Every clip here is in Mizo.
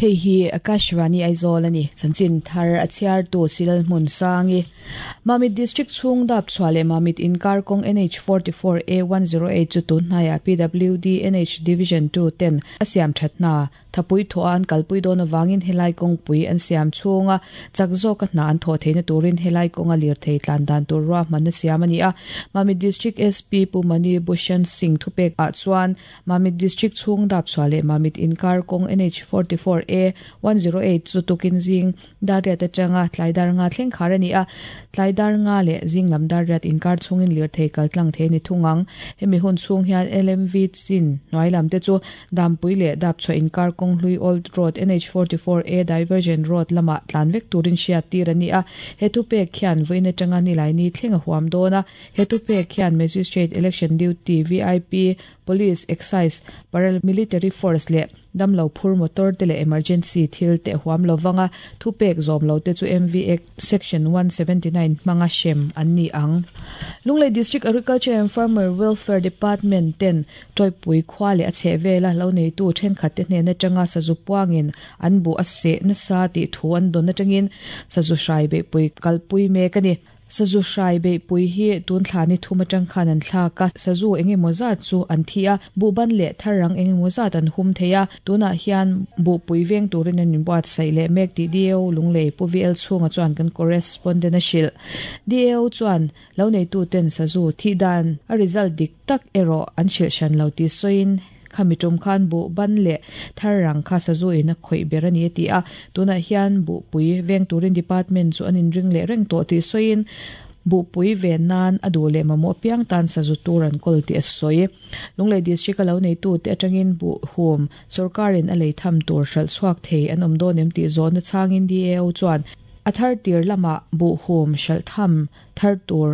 Hei hi Akashvani Aizawl a ni. Chanchin thar a chhiartu Silal Hmunsangi. Mamit District chhung dap chhuah leh Mamit inkar kawng NH 44 A 108 chu tun hnaiah PWD NH Division 2 ten a siam that hna Thapui thawh a an kalpui dawn avangin helai kawngpui an siam chhunga chak zawka hna an thawh theihna turin helai kawnga lirthei tlan dan tur ruahmanna siam a ni a. Mamit District SP Pu Mani Bhushan Singh thupek ah chuan Mamit District chhung dapchhuah leh Mamit inkar kawng NH 44 A 108 chu tukin zing dar riat atanga tlai dar nga thleng khar a ni a, tlai dar nga leh zing lam dar riat inkar chhungin lirthei kal tlang thei a ni thung ang. Hemi hun chhung hian LMV chin hnuai lam te chu Dampui leh Dapchhuah inkar kawng hlui Old Road NH 44 A Diversion Road lamah tlan vek turin hriat tir a ni a, he thupek khian vawiin atanga Nilaini thleng a huam dawn a, he thupek khian Magistrate Election Duty VIP Police, Excise, Paramilitary Force leh damlo phur motor te leh emergency thil te huam lo vanga thupek zawm lo te chu MV Act Section 179 hmanga hrem an ni ang. Lunglei District Agriculture and Farmer Welfare Department ten Tawipui khua leh a chhehvela lo neitu thenkhat te hnen atanga sazu puangin an buh a seh nasa tih thu an dawn atangin sazu hrai beihpui kalpui mek a ni. Sazu hrai beihpui hi tun thla ni thum atang khan an thlak a, sazu eng emaw zat chu an thi a, buhban leh tharrang eng emaw zat an hum thei a, tunah hian buhpui veng turin an inbuatsaih leh mek tih DAO Lunglei Pu VL Chhunga chuan kan correspondent a hrilh. DAO chuan lo neituten sazu thih dan a result dik tak erawh an hrilh hran lo tih sawiin khami tum khan buhban leh thar rang kha sazu in a khawih ber a ni a ti a, tunah hian buhpui veng turin department chu an inring leh reng tawh tih sawiin buhpui ven nan a duh leh mamawh apiang tan sazu tur an kawl tih a sawi. Lunglei District a lo neitute atangin buhhum sawrkarin a lei tham tur hralh chhuak thei an awm dawn em tih zawhna chhangin DAO chuan a thar tir lamah buhhum hralh tham Thar tur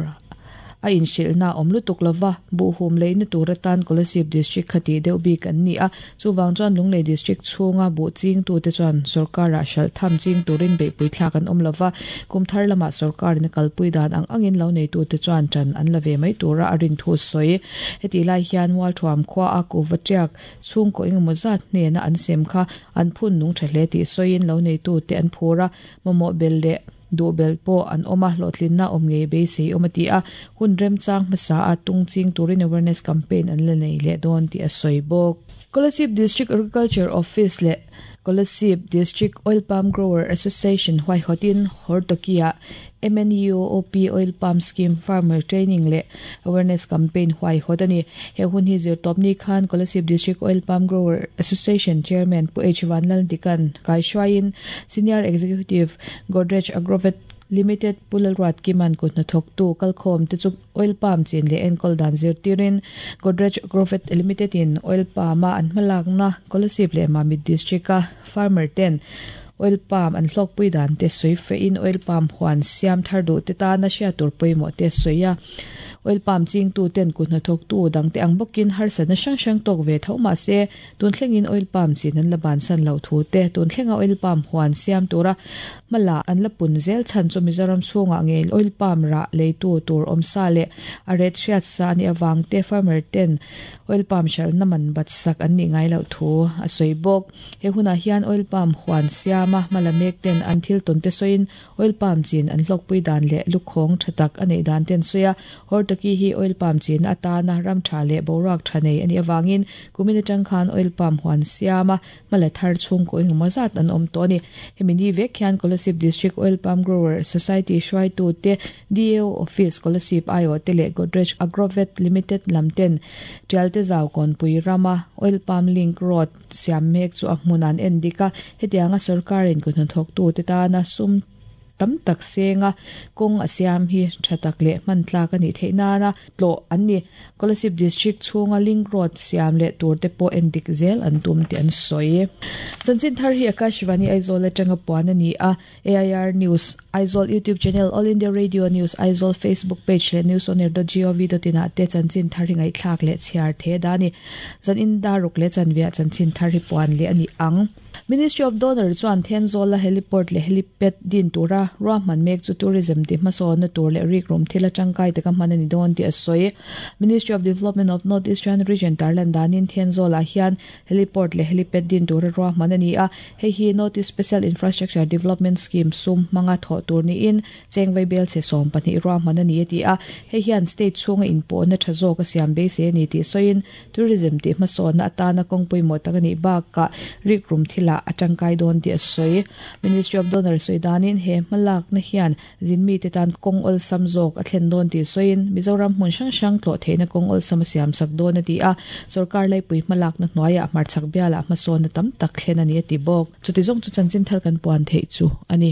a inhrilhna a awm lutuk lova, buhhum leina tur atan Kolasib District kha tih deuh bik an ni a, chuvang chuan Lunglei District chhunga buh chingtute chuan sawrkarah hralh tham ching turin beihpui thlak an awm lova, kum thar lamah sawrkarin a kalpui dan ang angin lo neitute chuan ṭan an la ve mai tura a rin thu sawi. Hetih lai hian Mualthuam khua a kuhva ṭiak chhungkaw engemaw zat hnena an sem kha an phun nung ṭha hle tih sawiin lo neitute an phur a, mamawh bel leh Duh belh pawh an awm a, hlawhtlinna awm ngei beisei awm a ti a, hun remchang hmasa a tung ching turin awareness campaign an la nei leh dawn tih a sawi bawk. Kolasib District Agriculture Office leh Kolasib District Oil Palm Grower Association huaihawtin Hortoki-ah MNUOP Oil Palm Scheme Farmer Training leh Awareness Campaign huaihawt a ni. He hun hi zirtawpni khan Kolasib District Oil Palm Grower Association Chairman Pu H Vanlaldikan kaihruaiin Senior Executive Godrej Agrovet Limited Pu Lalruat Kiman kut hnathawktu kalkhawm te chu oil palm chin leh enkawl dan zirtirin Godrej Agrovet Limited in oil palm a an hmalakna Kolasib leh Mamit District a farmer ten oil palm an hlawkpui dan te sawi fehin oil palm huan siam thar duh te tana hriat tur pawimawh te a sawi a. Oil palm chingtu ten kut hnathawktu dangte ang bawkin harsatna hrang hrang tawk ve tho mahse Tun thlengin oil palm chin an la bansan loh thu te, tun thlenga oil palm huan siam tura hmala an la pun zel chhan chu Mizoram chhungah ngei oil palm rah leitu tur awmsa leh a ret hriat sa a nih avang te farmer ten oil palm hralhna man bat sak an nih ngai loh thu a sawi bawk. He hunah hian oil palm huan siama hmala mek ten an thil tawn te sawiin Oil palm chin an hlawkpui dan leh lukhawng tha tak a neih dan te an sawi a, Hortaki hi oil palm chinna atana ram tha leh boruak tha nei a nih avangin kumin atang khan oil palm huan siama hmala thar chhungkaw engemaw zat an awm tawh a ni. Hemi ni vek hian Kolasib District Oil Palm Grower Society hruaitute, DAO Office Kolasib aiawhte leh Godrej Agrovet Limited lam ten Tialte Zau Kawnpui rama Oil Palm Link Road Siam mek chu a hmun an en dik a, hetianga sorkarin kut hnathawktute tana sum tam tak senga kawng a siam hi tha tak leh hman tlak a nih theih nana tlawh an ni. Kolasib District chhunga link road siam leh tur te pawh en dik zel an tum tih an sawi. Chanchin thar hi Akashvani Aizawl atanga puan a ni a. AIR News, Aizawl YouTube Channel, All India Radio News, Aizawl Facebook Page leh newsonair.gov.in ah te chanchin thar hi ngaihthlak leh chhiar the da a ni. Zan in daruk leh chanviah chanchin thar hi puan leh a ni ang. Ministry of Donor chuan Thenzawl-a heliport leh helipad din tura ruahman mek chu tourism ti hmasawnna tur leh rikrum thil atangkai taka hman a ni dawn tih a sawi. Ministry of Development of North Eastern Region tarlan danin Thenzawl-ah hian heliport leh helipad din tura ruahman a ni a, hei hi North East Special Infrastructure Development Scheme sum hmanga thawh tur niin Chengvei belchhe 12 ruahman a ni a ti a, hei hian state chhunga inpawhna tha zawk a siam beisei a ni tih sawiin tourism tih hmasawnna atana kawng pawimawh tak a nih bakah rikrum thilah a tangkai dawn tih a sawi. Ministry of Donor sawi danin he hmalakna hian zinmite tan kawng awlsam zawk a thlen dawn tih sawiin Mizoram hmun hrang hrang tlawh theihna kawng awlsam a siamsak dawn a ti a, sorkar laipui hmalakna hnuaiah hmarchhak bialah hmasawnna tam tak thlen a ni a ti bawk. Chuti zawng chu chanchin thar kan puan theih chu a ni.